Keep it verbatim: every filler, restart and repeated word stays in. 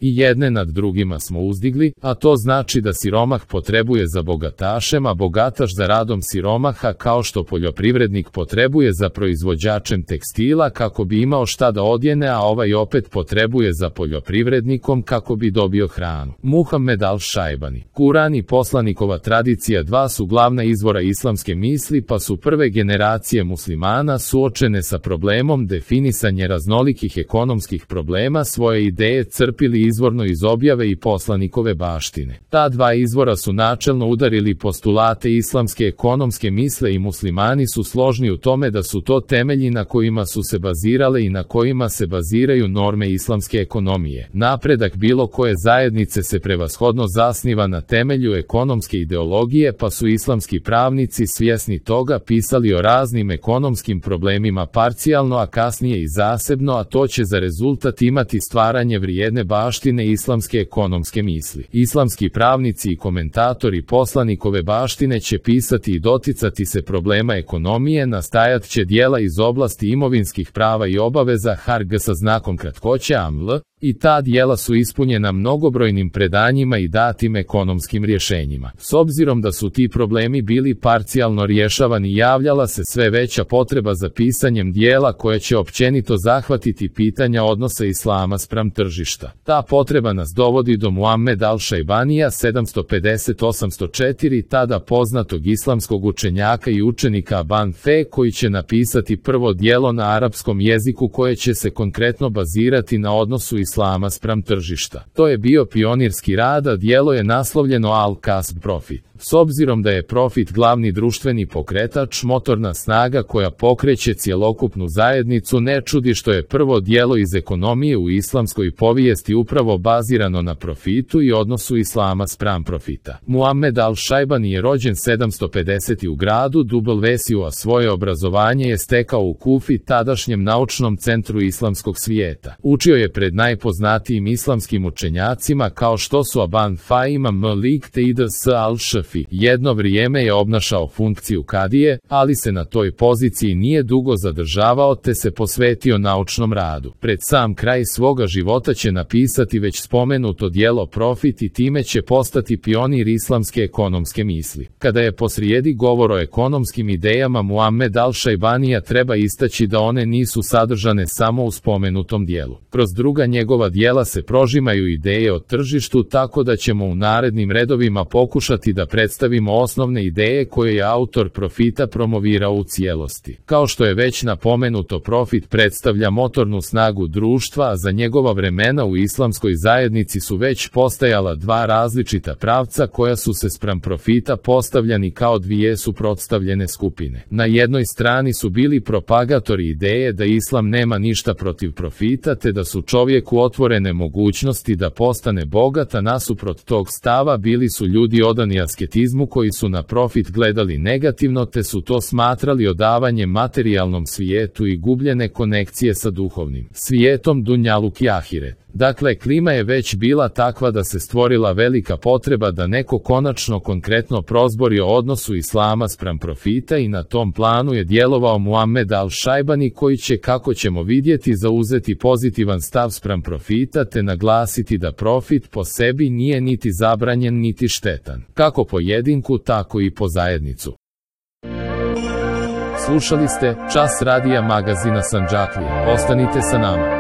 I jedne nad drugima smo uzdigli, a to znači da siromah potrebuje za bogatašem, a bogataš za radom siromaha, kao što poljoprivrednik potrebuje za proizvođačem tekstila kako bi imao šta da odjene, a ovaj opet potrebuje za poljoprivrednikom kako bi dobio hranu. Muhammed al-Šajbani. Kuran i poslanikova tradicija dva su glavna izvora islamske misli, pa su prve generacije muslimana suočene sa problemom definisanja raznolikih ekonomskih problema svoje ideje crpili izvorno iz objave i poslanikove baštine. Ta dva izvora su načelno udarili postulate islamske ekonomske misle i muslimani su složni u tome da su to temelji na kojima su se bazirale i na kojima se baziraju norme islamske ekonomije. Napredak bilo koje zajednice se prevashodno zasniva na temelju ekonomske ideologije, pa su islamski pravnici svjesni toga pisali o raznim ekonomskim problemima parcijalno, a kasnije i zasebno, a to će za rezultat imati stvaranje vrijedne baštine islamske ekonomske misli. Islamski pravnici i komentatori poslanikove baštine će pisati i doticati se problema ekonomije, nastajat će dijela iz oblasti imovinskih prava i obaveza harg sa znakom kratkoće aml, i ta dijela su ispunjena mnogobrojnim predanjima i datim ekonomskim rješenjima. S obzirom da su ti problemi bili parcijalno rješavani, javljala se sve veća potreba za pisanjem dijela koje će općenito zahvatiti pitanja odnosa islama spram tržišta. Ta potreba nas dovodi do Muhammed al-Šajbanija sedamsto pedeset do osamsto četiri, tada poznatog islamskog učenjaka i učenika Ban Fe, koji će napisati prvo dijelo na arapskom jeziku koje će se konkretno bazirati na odnosu islama spram tržišta. To je bio pionirski rad, a dijelo je naslovljeno Al-Kasb Profit. S obzirom da je profit glavni društveni pokretač, motorna snaga koja pokreće cjelokupnu zajednicu, ne čudi što je prvo dijelo iz ekonomije u islamskoj povijesti upravo bazirano na profitu i odnosu islama spram profita. Muhammed al-Šajbani je rođen sedamsto pedesete u gradu Dubelvesiju, a svoje obrazovanje je stekao u Kufi, tadašnjem naučnom centru islamskog svijeta. Učio je pred najpoznatijim islamskim učenjacima kao što su Aban Faima Malik te Ids al-Šafi. Jedno vrijeme je obnašao funkciju kadije, ali se na toj poziciji nije dugo zadržavao te se posvetio naučnom radu. Pred sam kraj svoga života će napisati već spomenuto dijelo Profit i time će postati pionir islamske ekonomske misli. Kada je posrijedi govor o ekonomskim idejama Muhammed al-Šajbanija, treba istaći da one nisu sadržane samo u spomenutom dijelu. Kroz druga njegova dijela se prožimaju ideje o tržištu, tako da ćemo u narednim redovima pokušati da predstavimo osnovne ideje koje je autor Profita promovirao u cijelosti. Kao što je već napomenuto, profit predstavlja motornu snagu društva, a za njegova vremena u islamskoj zajednici su već postajala dva različita pravca koja su se spram profita postavljani kao dvije suprotstavljene skupine. Na jednoj strani su bili propagatori ideje da islam nema ništa protiv profita te da su čovjeku otvorene mogućnosti da postane bogat, a nasuprot tog stava bili su ljudi odani asketizmu koji su na profit gledali negativno te su to smatrali odavanjem materijalnom svijetu i gubljene konekcije sa duhovnim svijetom dunjaluk i ahiret. Dakle, klima je već bila takva da se stvorila velika potreba da neko konačno konkretno prozbori o odnosu islama spram profita i na tom planu je djelovao Muhammed al-Šajbani, koji će, kako ćemo vidjeti, zauzeti pozitivan stav spram profita te naglasiti da profit po sebi nije niti zabranjen niti štetan, kako pojedinku tako i po zajednicu. Slušali ste Čas radija magazina Sandžaklije. Ostanite sa nama.